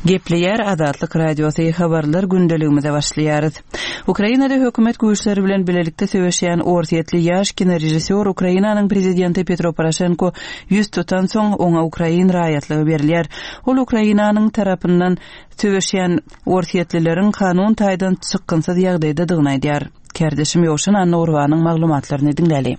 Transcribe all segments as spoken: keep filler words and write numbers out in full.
Gepleýär Azatlyk Radiosy habarlar gündeligimize başlaýarys. Ukrainada hökümet güýçleri bilen bilelikde söweşýän Orsýetli ýaş kinorežissýor Ukrainanyň prezidenti Petro Poroşenko ýüz tutansoň, oňa ukrain raýatlygy berilýär. Ol Ukrainanyň tarapyndan söweşýän orsýetlileriň kanun taýdan çykgynsyz ýagdaýdadygyny aýdýar. Kärdeşim Ýowşan Annagurbanyň maglumatlaryny diňläli.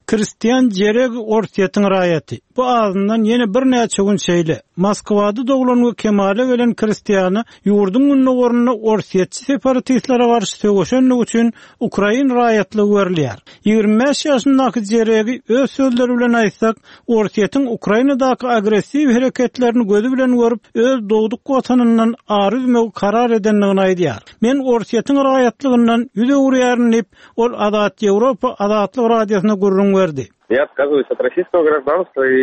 Kristian Jereg Orsýetiň raýaty. Bu azyndan ýene birnäçe gün şeýle. Moskwada doglan we kemala gelen Kristiana ýurduň gündogarynda orsýetçi separatistlere garşy söweşenligi üçin ukrain raýatlygy berilýär. Ýigrimi bäş ýaşyndaky Jeregi öz sözleri bilen aýtsak, Orsýetiň Ukrainadaky agressiw hereketlerini gözi bilen görüp, öz dogduk watanyndan ar üzmegi karar edendigini aýdýar. Men Orsýetiň raýatlygyndan ýüz öwürýärin diýip, ol Azat Ýewropa Azatlyk Radiosyna gürrüň berdi. Я отказываюсь от российского гражданства и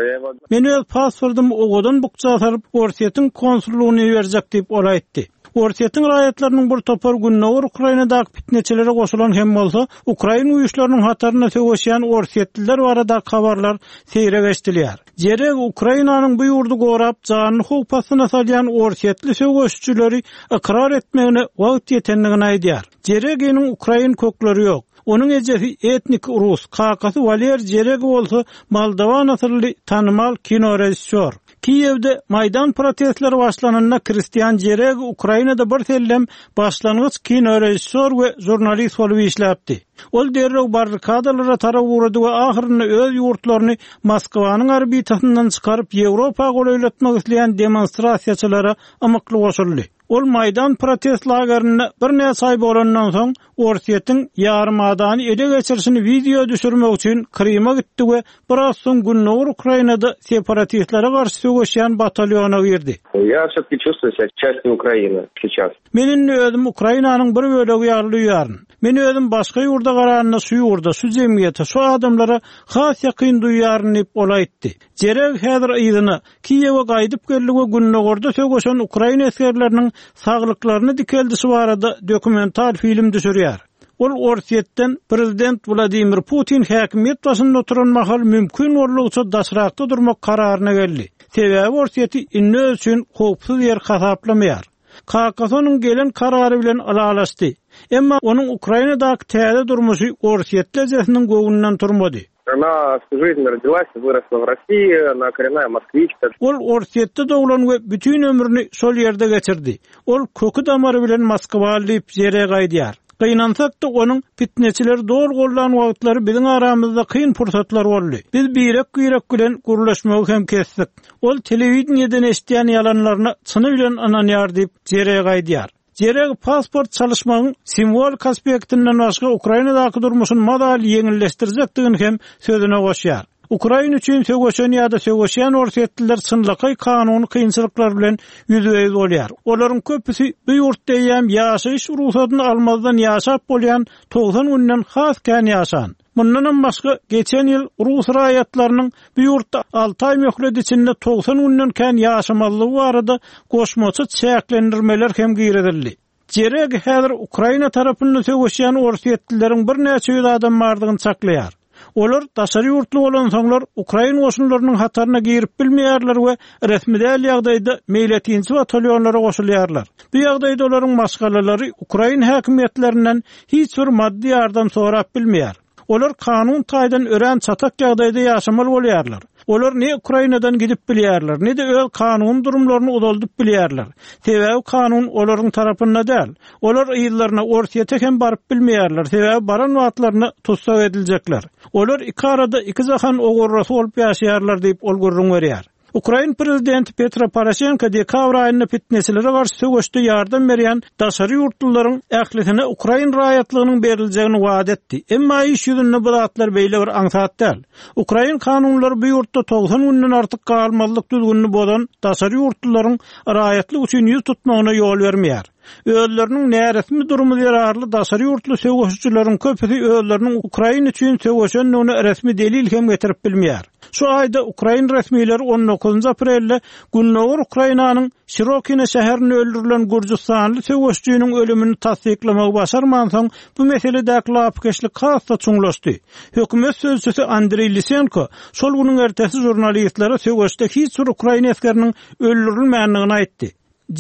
я его Men öz pasportymy owadan bukja salyp, Orsýetiň konsullygyna iberjek diýip ol aýtdy. Orsýetiň raýatlarynyň bir topar Gündogar Ukrainadaky pitneçilere goşulan hem bolsa, ukrain güýçleriniň hatarynda söweşýän orsýetliler baradaky habarlar seýrek eşidilýär. Jereg Ukrainanyň bu ýurdy gorap, janyny howp astyna salýan orsýetli söweşçileri ykrar etmegine wagt ýetendigini aýdýar. Jereginiň ukrain kökleri ýok. Onuň ejesi etnik rus, kakasy Waler Jereg bolsa Moldowan asylly tanymal kinorežissýor. Kiýewde Maýdan protestleri başlananda Kristian Jereg Ukrainada bir sellem başlangyç kinorežissýor we žurnalist bolup işläpdi. Ol derrew barrikadalara tarap ugrady we ahyrynda öz ýurtlaryny Moskwanyň orbitasyndan çykaryp Ýewropa golaýlatmak isleýän demonstrasiýaçylara ymykly goşuldy. Ol Maýdan protest lagerinde birnäçe aý bolandan soň Orsýetiň ýarymadany ele geçirişini wideo düşürmek üçin Kryma gitdi we biraz soň Gündogar Ukrainada separatistlere garşy söweşýän batalýona girdi. Я все-таки чувствую себя частью Украины сейчас. Men indi özüm Ukrainanyň bir bölegi ýaly duýaryn. Men özüm başga ýurda garanda şu ýurda, şu jemgyýete, şu adamlara has ýakyn duýaryn diýip ol aýtdy. Jereg häzir yzyna Kiýewe gaýdyp geldi we Gündogarda söweşen ukrain esgerleriniň saglyklaryny dikeldişi barada dokumental film düşürýär. Ol Orsýetden prezident Wladimir Putin häkimiýet başynda oturan mahal mümkin boldugyça daşrakda durmak kararyna geldi. Sebäbi Orsýeti indi öz üçin howpsuz ýer hasaplamaýar. Kakasy onuň gelen karary bilen ylalaşdy. Emma onuň Ukrainadaky täze durmuşy Orsýetli ejesiniň göwnünden turmady. Она всю жизнь родилась и выросла в России, она коренная москвичка. Ol Orsýetde doglan we bütün ömrüni şol ýerde geçirdi. Ol köki damary bilen Moskwaly diýip Jereg aýdýar. Gynansak-da onuň pitneçileri dogry gollan wagtlary biziň aramyzda kyn pursatlar boldy. Biz birek-birek bilen gürleşmegi hem kesdik. Ol telewideniýeden eşidýän ýalanlaryna çyny bilen ynanýar diýip Jereg aýdýar. Jereg pasport çalyşmagyň simwolik aspektinden başga Ukrainadaky durmuşyny mazaly ýeňilleşdirjekdigini hem sözüne goşýar. Ukraina üçin söweşen ýa-da söweşýän orsýetliler çynlakaý kanuny kynçylyklar bilen ýüzbe-ýüz bolýar. Olaryň köpüsi bu ýurtda eýýäm ýaşaýyş rugsatyn almazdan ýaşap bolýan togsan günden has kän ýaşan. Mundanam başga geçen ýyl rus raýatlarynyň bu ýurtda alty aý möhlet içinde togsan günden kän ýaşamalygy barada goşmaça çäklendirmeler hem girizildi. Jereg häzir Ukraina tarapynda söweşýän orsýetlileriň birnäçe ýüz adam bardygyny çaklaýar. Olar daşary ýurtly bolansoňlar ukrain goşunlarynyň hataryna girip bilmeýärler we resmi däl ýagdaýda meýletinçi batalýonlara goşulýarlar. Bu ýagdaýda olaryň maşgalalary ukrain häkimiýetlerinden hiç bir maddy ýardam sorap bilmeýär. Olar kanun taýdan örän çatak ýagdaýda ýaşamaly bolýarlar. Olar ne Ukrainadan gidip bilýärler, ne-de öz kanun durumlaryny uzaldyp bilýärler. Sebäbi kanun olaryň tarapynda däl. Olar ýyllaryna Orsýete hem baryp bilmeýärler, sebäbi baran wagtlaryna tussag ediljekler. Olar iki arada iki jahan ogurrasy bolup ýaşaýarlar diýip ol gürrüň berýär. Ukrain prezidenti Petro Poroşenko dekabr aýynda pitneçilere garşy söweşde ýardam berýän daşary ýurtlularyň ählisine ukrain raýatlygynyň beriljegini wada etdi. Emma iş ýüzünde bu zatlar beýle bir aňsat däl. Ukrain kanunlary bu ýurtda togsan günden artyk galmazlyk düzgünini bozan daşary ýurtlularyň raýatlyk üçin ýüz tutmagyna ýol bermeýär. Özleriniň näresmi durumy zerarly daşary ýurtly söweşijileriň köpüsi özleriniň Ukraina üçin söweşendigine resmi delil hem getirip bilmeýär. Şu aýda Ukrain resmileri on dokuzynjy aprelde Gündogar Ukrainanyň Şirokina şäherinde öldürilen Gürjüstanly söweşçiniň ölümini tassyklamagy başarmansoň, bu meseledäki lapykeçlik has-da çuňlaşdy. Hökümet sözçüsi Andriy Lisenko şol günüň ertesi žurnalistlere söweşde hiç bir Ukrain esgeriniň öldürilmändigini aýtdy.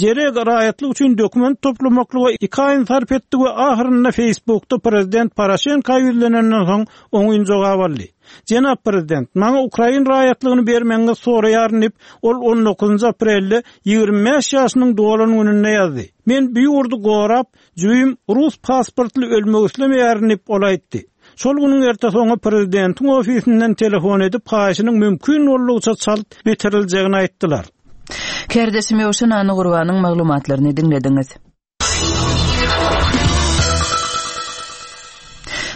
Jereg raýatlyk üçin dokument toplamaklyga iki aýyny sarp etdi we ahyrynda Facebookda prezident Poroşenko ýüzlenenden soň oňyn jogap aldy. Jenap prezident, maňa Ukrain raýatlygyny bermegiňizi soraýaryn diýip, ol on dokuzynjy aprelde ýigrimi bäş ýaşynyň dolan gününde ýazdy. Men bu ýurdy gorap, jübim rus pasportly ölmek islemeýärin diýip, ol aýtdy. Şol günüň ertesi oňa prezidentiň ofisinden telefon edip, haýyşynyň mümkin boldugyça çalt bitiriljegini aýtdylar. Kardeşim Ýowşan Annagurbanyň maglumatlaryny diňlediňiz.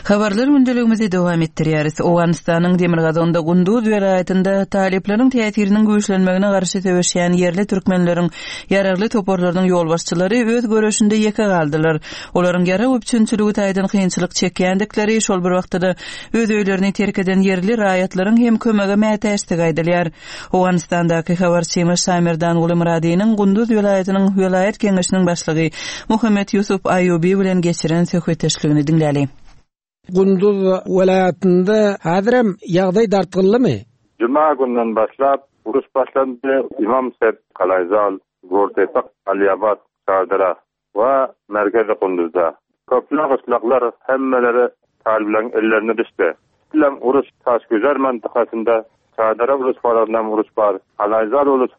Habarlar gündeligimizi dowam etdirýäris. Owganystanyň Demirgazygynda Gunduz welaýatynda talyplaryň täsiriniň güýçlenmegine garşy söweşýän ýerli türkmenleriň ýaragly toparlarynyň ýolbaşçylary öz göreşinde ýeke galdylar. Olaryň ýarag üpjünçiligi taýdan kynçylyk çekýändikleri, şol bir wagtda-da öz öýlerini terk eden ýerli raýatlaryň hem kömege mätäçdigi aýdylýar. Owganystandaky habarçymyz Şamerdan Gulymyradynyň Gunduz welaýatynyň welaýat geňeşiniň başlygy Muhammet Ýusuf Aýubi bilen geçiren söhbetdeşligini diňläli. Gunduz welaýatynda häzirem ýagdaý dartgynlymy? Juma günden başlap uruş başlandy. Imam Sep, Kalayzal, Gortepe, Aliabat, Çardara we merkezi Gunduzda. Köpler gyşlaklar hemmeleri talyplaryň ellerine düşdi. Bilen uruş Taşgüzer mantykasynda Çardara uruş uruş bar. Kalayzal uruş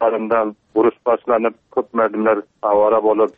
uruş başlanyp köp merdimler awara bolup.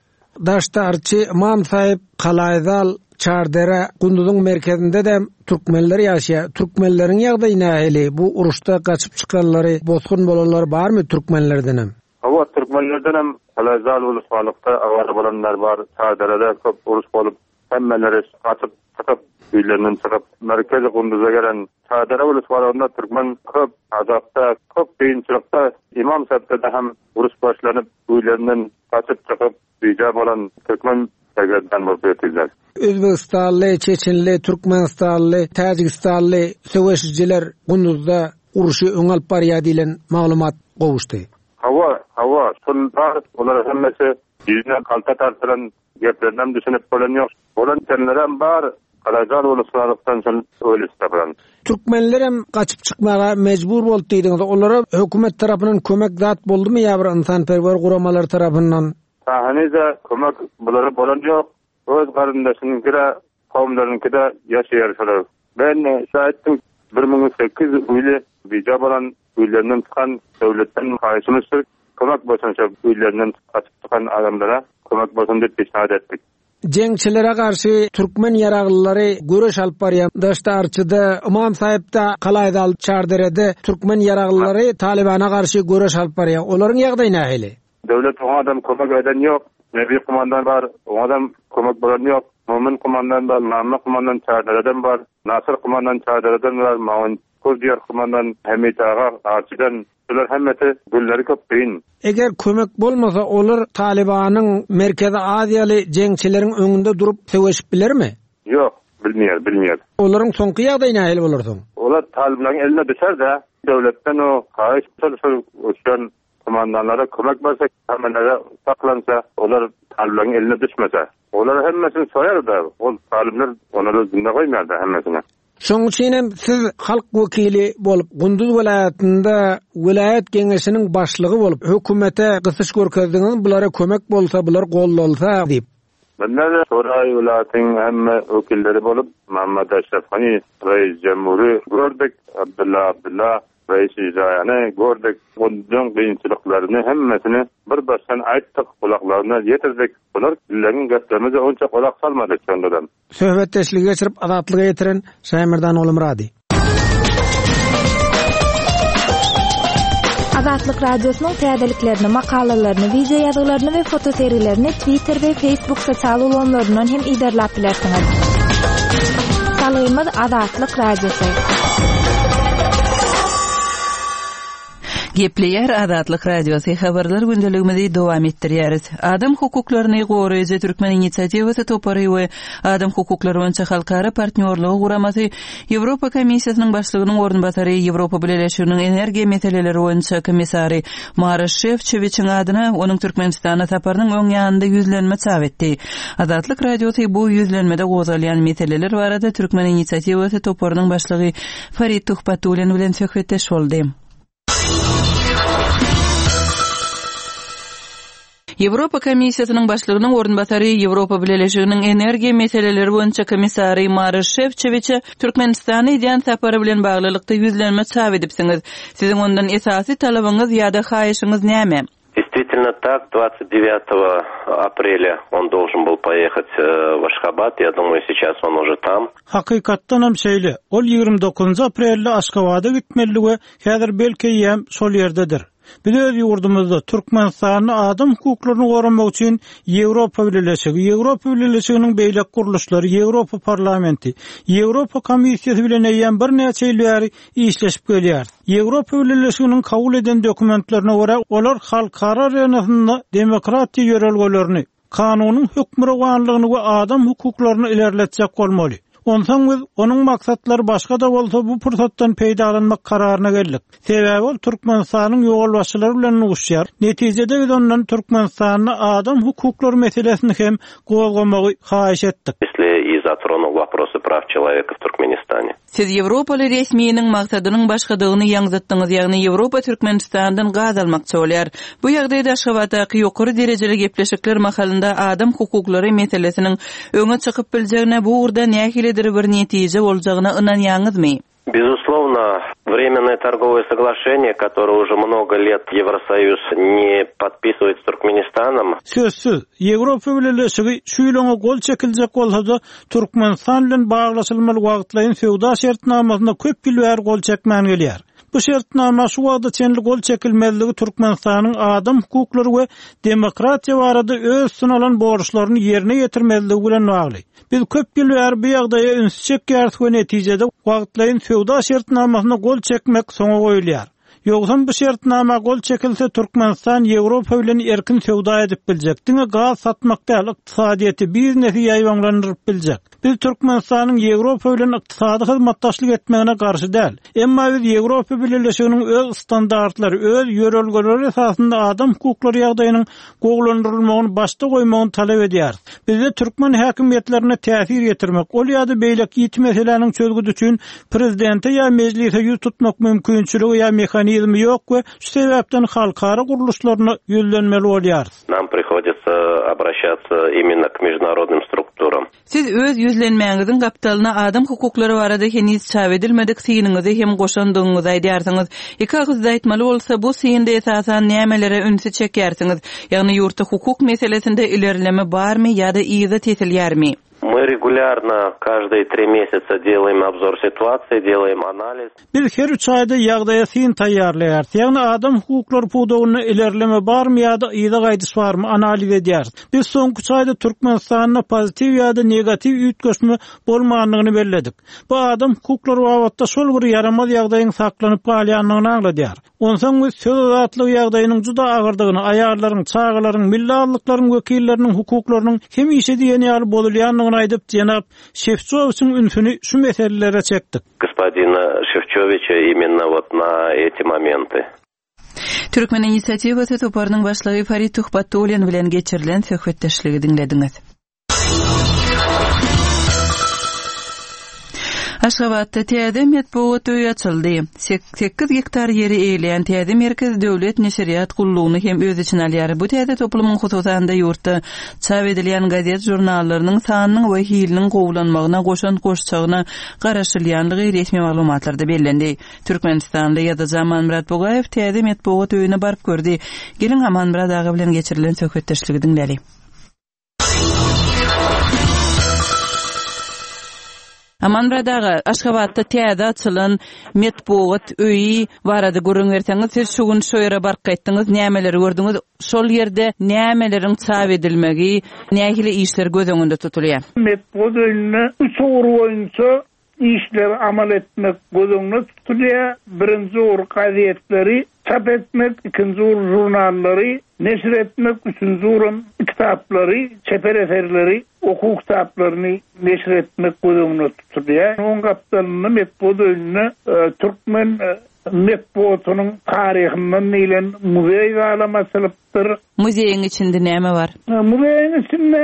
Daştarçy Imam Sahip, Kalayzal, Çardara, Gunduzyň merkezinde de türkmenler ýaşaýar. Türkmenleriň ýagdaýy nähili? Bu uruşda gaçyp çykanlary, bosgun bolanlar barmy türkmenlerden hem? Hawa, türkmenlerden hem Kalayzal ulusbalykda awara bolanlar bar. Çardarada köp uruş bolup, hemmeleri gaçyp çykyp, öýlerinden çykyp, merkezi Gunduza gelen Çardara ulusbalygynda türkmen köp azapda, köp kynçylykda İmam Sahipde hem uruş başlanyp, öýlerinden gaçyp çykyp, bija bolan türkmen sergezdan bolup ýetdiler. Özbegistanly, Çeçenli, Türkmenistanly, Täjigistanly söweşijiler Gunduzda uruşy öň alyp barýar diýlen maglumat gowuşdy. Hawa, hawa, şol bar, olar hemmesi ýüzüne kalta tartylan geplerinden düşünip bolan ýok. Bolan tenlerem bar, Kalayzal uluslararasyndan şol öyle tapylan. Türkmenler hem gaçyp çykmaga mejbur boldy diýdiňiz. Olara hökümet tarapyndan kömek zat boldumy ýa bir ynsanperwer guramalar tarapyndan? Sahanyza kömek bulary bolan ýok. Öz garyndaşynyňkyda, kowumlarynyňkyda ýaşaýar şolar. Ben şaýtym bir müň sekiz ýüz öýli bija bolan öýlerinden çykan döwletden haýyşymyz kömek bolsun şo öýlerinden gaçyp çykan adamlara kömek bolsun diýip peşnat etdik. Jeňçilere garşy türkmen ýaraglylary göreş alyp barýan Daştarçyda, Imam Sahipde, Kalaýdal, Çarderede türkmen ýaraglylary Talibana garşy göreş alyp barýar. Olaryň ýagdaýy nähili? Döwlet oňa adam kömek eden ýok. Nebi kumandan bar, oňa adam kömek bolan ýok. Mumin kumandan bar, Mamma kumandan Çardereden bar, Nasır kumandan Çardereden bar, Maun Kurdiýar kumandan Hamid aga Arçydan. Bular hemmesi gülleri köp kyn. Eger kömek bolmasa olar Talibanyň Merkezi Aziýaly jeňçileriň öňünde durup söweşip bilermi? Ýok, bilmeýär, bilmeýär. Olaryň soňky ýagdaýy nähili bolar soň? Olar Talibanyň eline düşer-de, döwletden o haýyş şol uçan kumandanlara kömek berse, hemmelere saklansa, olar Talibanyň eline düşmese. Olar hemmesini soýar-da, ol talibler onları zinde goýmaýar-da hemmesini. Şoň üçin hem siz halk wekili bolup, Gunduz welaýatynda welaýat geňeşiniň başlygy bolup, hökümete gysyş görkezdiňiz, bulara kömek bolsa, bular gollalsa diýip. Bunlar Soray welaýatyň hemme wekilleri bolup, Muhammed Aşraf Gani, Reis Cemhuri gördük, Abdullah Abdullah, Reis Icraýany gördük. Gunduzyň kynçylyklaryny hemmesini bir başdan aýtdyk, kulaklaryna ýetirdik. Bular bileň geplerimize onça kulak salmadyk şondan. Söhbetdeşligi geçirip Azatlyga ýetiren Şaýmerdan Oglumyrady. Azatlyk Radiosynyň täzeliklerini, makalalaryny, wideo ýazgylaryny we fotosergilerini Twitter we Facebook sosial ulgamlaryndan hem iderläp bilersiňiz. Salgymyz Azatlyk Radiosy. Gepleýär Azatlyk Radiosy habarlar gündeligimizi dowam etdirýäris. Adam hukuklaryny goraýjy Türkmen inisiatiwasy topary we Adam hukuklary boýunça halkara partnýorlygy guramasy Ýewropa Komissiýasynyň başlygynyň orunbasary Ýewropa Bileleşiginiň energiýa meseleleri boýunça komissary Maroş Şefçowiçiň adyna onuň Türkmenistana saparynyň öň ýanynda ýüzlenme çap etdi. Azatlyk Radiosy bu ýüzlenmede gozgalýan meseleler barada Türkmen inisiatiwasy toparynyň başlygy Farid Tuhbatullin bilen söhbetdeş boldy. Ýewropa Komissiýasynyň başlygynyň orunbasary Ýewropa Bileleşiginiň energiýa meseleleri boýunça komissary Maroş Şefçowiçe Türkmenistana edýän sapary bilen baglylykda ýüzlenme çap edipsiňiz. Siziň ondan esasy talabyňyz ýa-da haýyşyňyz näme? Действительно так, двадцать девятого aprelya он должен был поехать э, в Ашхабад. Я думаю, сейчас он уже там. Hakykatdan hem şeýle. Ol ýigrimi dokuzynjy aprelde Aşgabada gitmeli we häzir belki hem şol ýerdedir. Biz öz ýurdumyzda Türkmenistanyň adam hukuklaryny goramak üçin Ýewropa Bileleşigi, Ýewropa Bileleşiginiň beýleki gurluşlary, Ýewropa Parlamenti, Ýewropa Komissiýasy bilen eýýäm birnäçe ýyl bäri işleşip gelýär. Ýewropa Bileleşiginiň kabul eden dokumentlerine görä, olar halkara arenasynda demokratiýa ýörelgelerini, kanunyň hökmürowanlygyny we adam hukuklaryny ilerletjek bolmaly. Onsoň biz onuň maksatlary başga da bolsa bu pursatdan peýdalanmak kararyna geldik. Sebäbi ol Türkmenistanyň ýolbaşçylary bilen duşýar. Netijede biz ondan Türkmenistanyň adam hukuklary meselesini hem gozgamagy haýyş etdik. И затронул вопросы прав человека в Туркменистане. Siz Ýewropaly resminiň maksadynyň başgadygyny ýaňzytdyňyz, ýagny Ýewropa Türkmenistandan gaz almakçy bolýar. Bu ýagdaýda Aşgabatdaky ýokary derejeli gepleşikler mahalynda adam hukuklary meselesiniň öňe çykyp biljegine, bu ugurda nähilidir bir netije boljagyna ynanýaňyzmy? Безусловно, временное торговое соглашение, которое уже много лет Евросоюз не подписывает с Туркменистаном. Sözsüz, Ýewropa Bileleşigi şu ýyl oňa gol çekiljek bolsa-da, Türkmenistan bilen baglaşylmaly wagtlaýyn söwda şertnamasyna köp ýyl bäri gol çekmän gelýär. Bu şertnama şu wagta çenli gol çekilmezligi Türkmenistanyň adam hukuklary we demokratiýa barada öz üstüne alan borçlaryny ýerine ýetirmezligi bilen bagly. Biz köp ýyl bäri bu ýagdaýa üns çekýäris we netijede wagtlaýyn söwda şertnamasyna gol çekmek soňa goýulýar. Ýogsam bu şertnama gol çekilse Türkmenistan Ýewropa bilen erkin söwda edip biljek, diňe gaz satmak däl, ykdysadyýeti, biznesi ýaýbaňlandyryp biljek. Biz Türkmenistanyň Ýewropa bilen ykdysady hyzmatdaşlyk etmegine garşy däl. Emma biz Ýewropa Bileleşiginiň öz standartlary, öz ýörelgeleri esasynda adam hukuklary ýagdaýynyň gowulandyrylmagyny başda goýmagyny talap edýäris. Bizde türkmen häkimiýetlerine täsir ýetirmek, ol ýa-da beýleki ýiti meseläniň çözgüdi üçin prezidente ýa mejlise ýüz tutmak mümkinçiligi ýa mehanizmi ýok we şu sebäpden halkara gurluşlaryna ýüzlenmeli bolýarys. Нам приходится обращаться именно к международным структурам. Siz öz ýüzlenmäňiziň gapdalyna adam hukuklary barada heniz çap edilmedik synyňyzy hem goşandygyňyzy aýdýarsyňyz. Iki agyzda aýtmaly bolsa, bu synda esasan nämelere ünsi çekýärsiňiz? Ýagny ýurtda hukuk meselesinde ilerleme barmy ýa-da yza tesilýärmi? Мы регулярно каждые три месяца делаем обзор ситуации, делаем анализ. Biz her üç aýda ýagdaýa syn taýýarlaýarys. Ýagny adam hukuklary pudagynda ilerleme barmy ýa-da yza gaýdyş barmy analiz edýäris. Biz soňky üç aýda Türkmenistanda pozitiw ýa-da negatiw üýtgeşme bolmandygyny belledik. Bu adam hukuklary babatda şol bir ýaramaz ýagdaýyň saklanyp galýandygyny aňladýar. Onsoň biz söz azatlygy ýagdaýynyň juda agyrdygyny, aýallaryň, çagalaryň, milli azlyklaryň wekilleriniň hukuklarynyň hemişe diýen ýaly bozulýandygyny aýdyp, jenap Şefçowiçiň ünsüni şu meselelere çekdik. Господина Шефчовича именно вот на эти моменты. Türkmen inisiatiwasy toparynyň başlygy Farid Tuhbatullin bilen geçirilen söhbetdeşligi diňlediňiz. Aşgabatda täze metbugat öýi açyldy. Sekiz gektar ýeri eýeleýän täze merkez döwlet neşirýat gullugyny hem öz içine alýar. Bu täze toplumyň hususan-da ýurtda çap edilýän gazet žurnallarynyň sanynyň we hiliniň gowulanmagyna goşan goşçagyna garaşylýanlygy resmi maglumatlarda bellendi. Türkmenistanly ýazyjy Amanmyrat Bugaýew täze metbugat öýüne baryp gördi. Geliň Amanmyrat aga bilen geçirilen söhbetdeşligi diňläli. Amanmyrat aga, Aşgabatda täze açylan metbugat öýi barada gürrüň berseňiz, siz şu gün şu ýere baryp gaýtdyňyz, nämeleri gördüňiz? Şol ýerde nämeleriň çap edilmegi, nähili işler göz öňünde tutulýar? Metbugat öýünde üç ugur boýunça işleri amal etmek göz öňünde tutulýar. Birinji ugur gazetleri çap etmek, ikinji ugur žurnallary neşir etmek, üçünji uguram kitaplary, çeper eserleri, okuw kitaplaryny neşir etmek göz öňünde tutulýar. Onuň gapdalynda metbugat öýünde e, türkmen e, metbugatynyň taryhyndan diýlen muzeý zalam açylypdyr. Muzeýiň içinde näme bar? E, muzeýiň içinde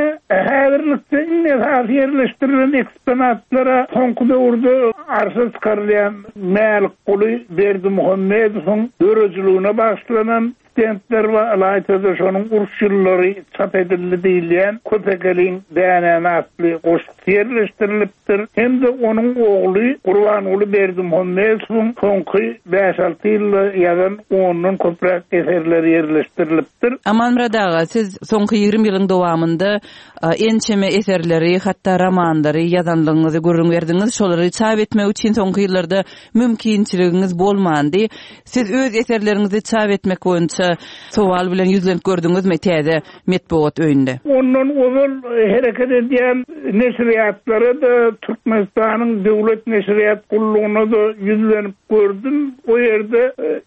häzirlikde iň esasy ýerleşdirilen eksponatlara soňky döwürde arşa çykarylýan Mälikguly Berdimuhamedowyň döredijiligine bagyşlanan stendler we ylaýta-da şonuň uruş ýyllary çap edildi diýilýän Köpekeliň Dänäni atly goşgusy ýerleşdirilipdir. Hem-de onuň ogly Gurbanguly Berdimuhamedowyň soňky bäş-alty ýylda ýazan ondan köpräk eserleri ýerleşdirilipdir. Amanmyrat aga, siz soňky ýigrimi ýylyň dowamynda ençeme eserleri, hatda romanlary ýazanlygyňyzy gürrüň berdiňiz. Şolary çap etmek üçin soňky ýyllarda mümkinçiligiňiz bolmandy. Siz öz eserleriňizi çap etmek boýunça sowal bilen ýüzlenip gördüňizmi täze metbugat öýünde? Ondan ozal hereket edýän neşirýatlara-da, Türkmenistanyň döwlet neşirýat gullugyna-da ýüzlenip gördüm. O ýerde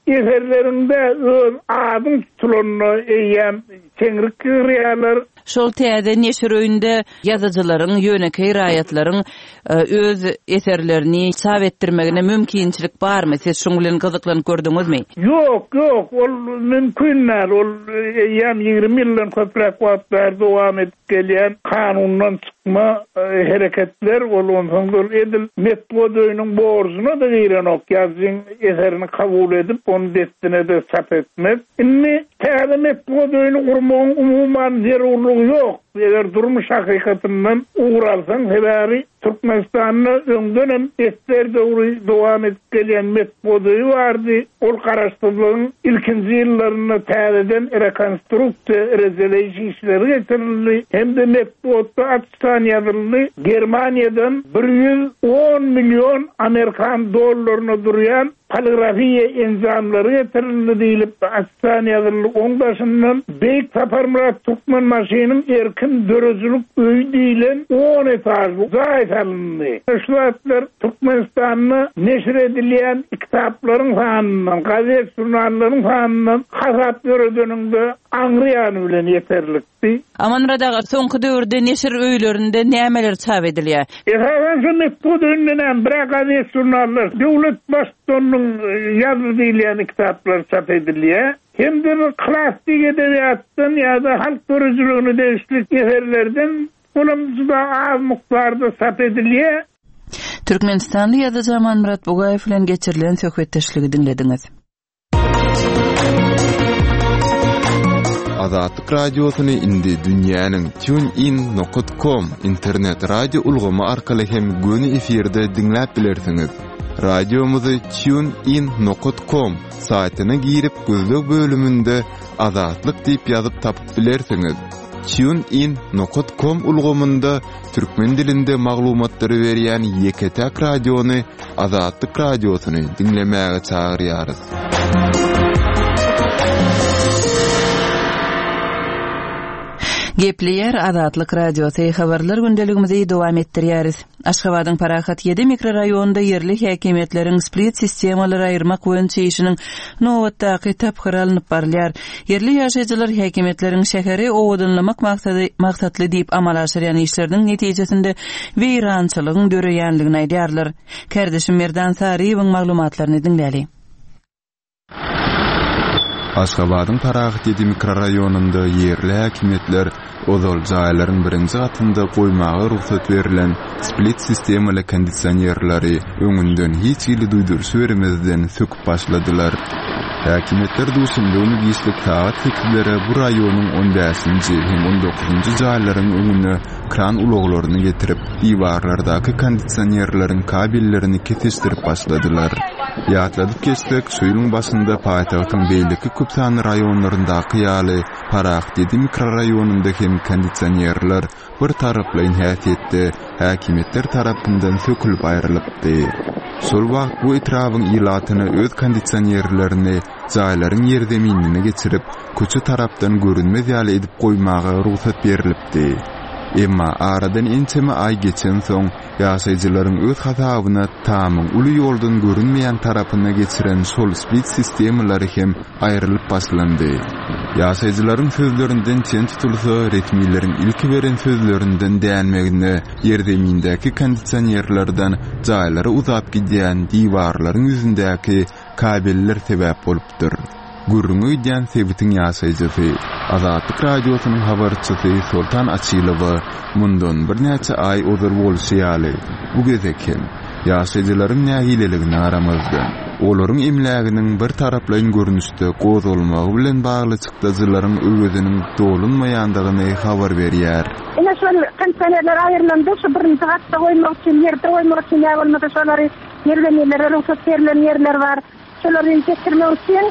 eserleriňde öz adyň tutulanyna eýýäm çeňrik girýärler. Şol täze neşir öýünde ýazyjylaryň, ýönekeý raýatlaryň öz eserlerini çap etdirmegine mümkinçilik barmy? Siz şuň bilen gyzyklanyp gördüňizmi? Ýok, ýok, ol mümkin däl. Ol eýýäm ýigrimi ýyldan köpräk wagt bäri dowam edip gelýän kanundan çykma hereketler, ol onsoň ol edil metbugat öýüniň borjuna-da girenok, ýazyjyň eserini kabul edip, ony dessine-de çap etmek. Indi täze metbugat öýüni gurmagyň umuman zerurlygy ýok. Eger durmuş hakykatyndan ugur alsaň, sebäbi Türkmenistanda öňden hem esger döwri dowam edip gelýän metbugat öýi bardy. Ol garaşsyzlygyň ilkinji ýyllarynda täzeden rekonstruksiýa, rejeleýiş işleri geçirildi. Hem-de metbugatda açyşdan ýazyldy. Germaniýadan bir ýüz on million amerikan dollaryna durýan poligrafiýa enjamlary getirildi diýlip açyşdan ýazyldy. Oň daşyndan Beýik Saparmyrat Türkmenbaşynyň erkin döredijilik öýi diýlen on etažly jaý salyndy. Şu zatlar Türkmenistanda neşir edilýän kitaplaryň sanyndan, gazet žurnallaryň sanyndan hasap ýöredeniňde aňry ýany bilen ýeterlikdi. Amanmyrat aga, soňky döwürde neşir öýlerinde nämeler çap edilýär? Esasan şu metbugat öýünden hem bir gazet žurnallar, döwlet baştutanynyň ýazdy diýilýän kitaplar çap edilýär. Hem de bir klasik edebiýatdan ýa-da halk döredijiligine degişli eserlerden olam juda az mukdarda çap edilýär. Türkmenistanly ýazyjy Amanmyrat Bugaýew bilen geçirilen söhbetdeşligi diňlediňiz. Azatlyk radiosyny indi dünýäniň TuneIn nokta com internet radio ulgamy arkaly hem göni efirde diňläp bilersiňiz. Radiomyzy TuneIn nokta com saýtyna girip gözleg bölüminde Azatlyk diýip ýazyp tapyp bilersiňiz. TuneIn nokta com ulgamynda türkmen dilinde maglumatlary berýän ýeke-täk radiony Azatlyk radiosyny diňlemäge çagyrýarys. Gepleýär Azatlyk radiosy habarlar gündeligimizi dowam etdirýäris. Aşgabadyň Parahat ýedi mikroraýonynda ýerli häkimiýetleriň split sistemalary aýyrmak boýunça işiniň nobatdaky tapgyry alnyp barylýar. Ýerli ýaşaýjylar häkimiýetleriň şäheri owadanlamak maksady maksatly diýip amala aşyrýan işleriniň netijesinde weýrançylygyň döreýänligini aýdýarlar. Kardeşim Merdan Saryýewiň maglumatlaryny diňläli. Aşgabadyň Parahat ýedi mikroraýonynda ýerli häkimiýetler ozal jaýlaryň birinji gatynda goýmaga rugsat berlen split sistemaly kondisionerleri öňünden hiç hili duýduryş bermezden söküp başladylar. Häkimiýetler duşenbe güni giçlik sagat sekizlere bu raýonyň on bäşinji hem on dokuzynjy jaýlaryň öňüne kran ulaglaryny getirip, diwarlardaky kondisionerleriň kabellerini kesişdirip başladylar. Ýatladyp geçsek, şu ýylyň başynda paýtagtyň beýleki köp sanly raýonlaryndaky ýaly Parahat ýedi mikroraýonynda hem kondisionerler bir taraplaýyn häsiýetde häkimiýetler tarapyndan sökülip aýrylypdy. Şol wagt bu etrabyň ilatyna öz kondisionerlerini jaýlaryň ýerzeminine geçirip, köçe tarapdan görünmez ýaly edip goýmaga rugsat berilipdi. Emma aradan ençeme aý geçensoň, ýaşaýjylaryň öz hasabyna tamyň uly ýoldan görünmeýän tarapyna geçiren şol split sistemalary hem aýrylyp başlandy. Ýaşaýjylaryň sözlerinden çen tutulsa, resmileriň ilki beren sözlerinden dänmegine ýerzemindäki kondisionerlerden jaýlara uzap gidýän diwarlaryň ýüzündäki kabeller sebäp bolupdyr. Gürrüňi gidýän sebitiň ýaşaýjysy, Azatlyk radiosynyň habarçysy Soltan Açylowa mundan birnäçe aý ozal bolşy ýaly, bu gezek hem ýaşaýjylaryň nägileligine garamazdan, olaryň emläginiň bir taraplaýyn görnüşde gozgalmagy bilen bagly çykdajylaryň öweziniň dolunmaýandygyny habar berýär. Ine şol kondisionerler aýrylandy, şu birinji gatda goýmak üçin, ýerde goýmak üçin ýa bolmasa şolary ýerlenmelere rugsat berilen ýerler bar. Şolary getirmek üçin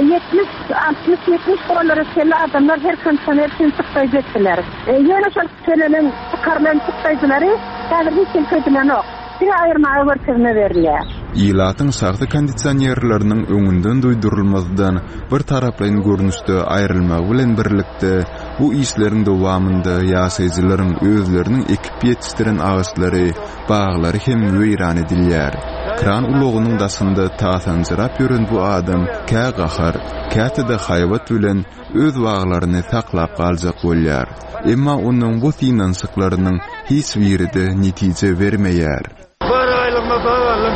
ýetmiş, altmyş, ýetmiş dollara çenli adamlar her kondisioner üçin çykdaýjy etdiler. Ýöne şol tölenen, çykarylan çykdaýjylary häzir hiç kim ködülenok. Diňe aýyrmaga görkezme berilýär. Ilatyň şahsy kondisionerleriniň öňünden duýdurylmazdan bir taraplaýyn görnüşde aýrylmagy bilen birlikde bu işleriň dowamynda ýaşaýjylaryň özleriniň ekip ýetişdiren agaçlary, baglary hem weýran edilýär. Kran ulagynyň daşynda tasanjyrap ýören bu adam kä gahar, käte-de haýbat bilen öz baglaryny saklap galjak bolýar. Emma onuň bu synanyşyklarynyň hiç biri-de netije bermeýär. Bar aýlygyma bag aldym.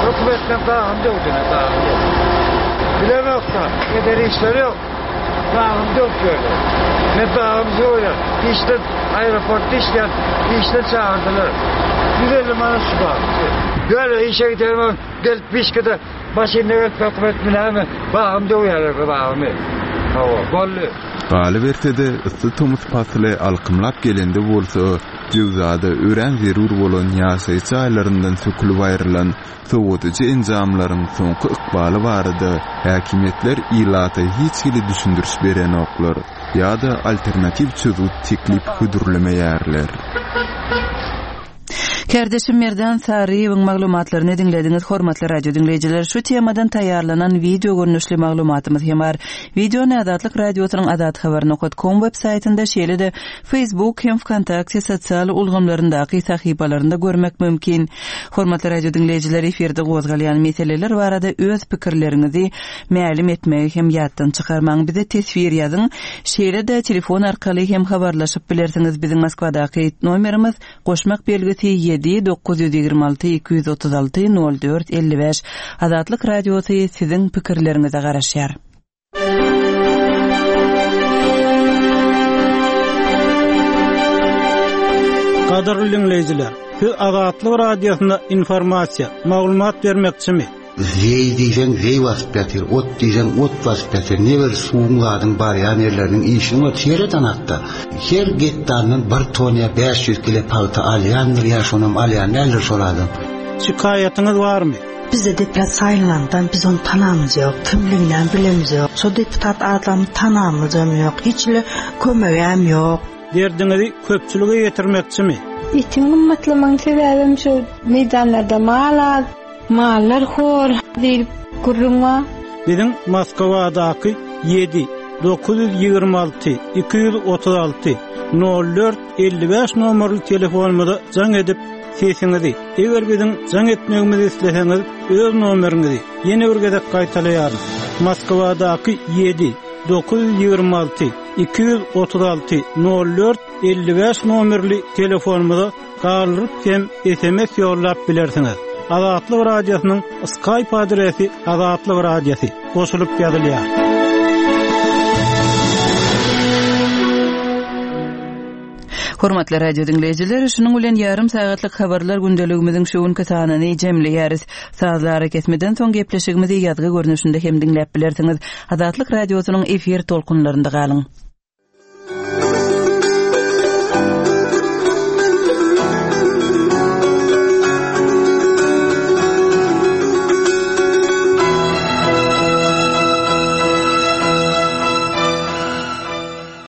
Hökümetden bagym döwdüne, bagym döwdü. Bilemok-da, eder işleri ýok. Bagym döwdüler. Men bagym söýýän. Işden aeroportda işleýän, işden çagyrdylar. Ýüz elli manat şu bag. Ýöne işe giderim, gelip bişkede maşynda gelip hökümet bilämi, bagym döwýärler bagymy. Hawa, boldy. Galyberse-de, yssy tomus pasly alkymlap gelende bolsa, jöwzada örän zerur bolan ýaşaýyş jaýlaryndan sökülip aýrylan sowadyjy enjamlaryň soňky ykbaly barada häkimiýetler ilata hiç hili düşündiriş berenoklar ýa-da alternatiw çözgüt teklip hödürlemeýärler. Kardeşim Merdan Saryýewiň maglumatlaryny diňlediňiz, hormatly radio diňleýjiler. Şu temadan taýýarlanan wideo görnüşli maglumatymyz hem bar. Wideony Azatlyk radiosynyň azathabar nokta com web saýtynda, şeýle-de Facebook hem VKontakte sosial ulgamlaryndaky sahypalarynda görmek mümkin. Hormatly radio diňleýjiler, efirde gozgalýan meseleler barada öz pikirleriňizi mälim etmegi hem ýatdan çykarmaň. Bize teswir ýazyň. Şeýle-de telefon arkaly hem habarlaşyp bilersiňiz. Biziň Moskwadaky nomerimiz goşmak belgisi ýedi dokuz ýüz ýigrimi alty iki ýüz otuz alty nol dört elli bäş. Azatlyk radiosy siziň pikirleriňize garaşýar. Gadyrly dinleýjiler, siz Azatlyk radiosynda informasiýa, maglumat bermekçimi? Zeý diýseň zeý basyp ýatyr, ot diýseň ot basyp ýatyr. Ne bir suwuň zadyň barýan ýerleriniň işini ot ýereden hatda. Her gektardan bir ton ýa bäş ýüz kilo pagta alýandyr ýa şonam alýan däldir şol adam. Şikaýatyňyz barmy? Bize deputat saýlandan biz onu tanamyz ýok, kimliginden bilemiz ýok. Şo deputat adamy tanamyzam ýok, hiç le kömegem ýok. Derdiňizi köpçülige ýetirmekçimi? Etiň gymmatlamagyň sebäbim şu meýdanlarda mal az, mallar hor diýip gürrüň bar. Biziň Moskwadaky ýedi dokuz ýüz ýigrimi alty iki ýüz otuz alty nol dört elli bäş nomerli telefonumyza jaň edip sesiňizi, eger biziň jaň etmegimizi isleseňiz, öz nomeriňizi ýene bir gezek gaýtalaýarys. Moskwadaky ýedi dokuz ýüz ýigrimi alty iki ýüz otuz alty nol dört elli bäş nomerli telefonumyza galdyryp hem S M S ýollap bilersiňiz. Azatlyk radiosynyň Skype adresi Azatlyk radiosy goşulyp ýazylýar. Hormatly radio diňleýjiler, şunuň bilen ýarym sagatlyk habarlar gündeligimiziň şu günki sanyny jemleýäris. Sazlara kesmeden soň gepleşigimizi ýazgy görnüşinde hem diňläp bilersiňiz. Azatlyk radiosynyň efir tolkunlarynda galyň.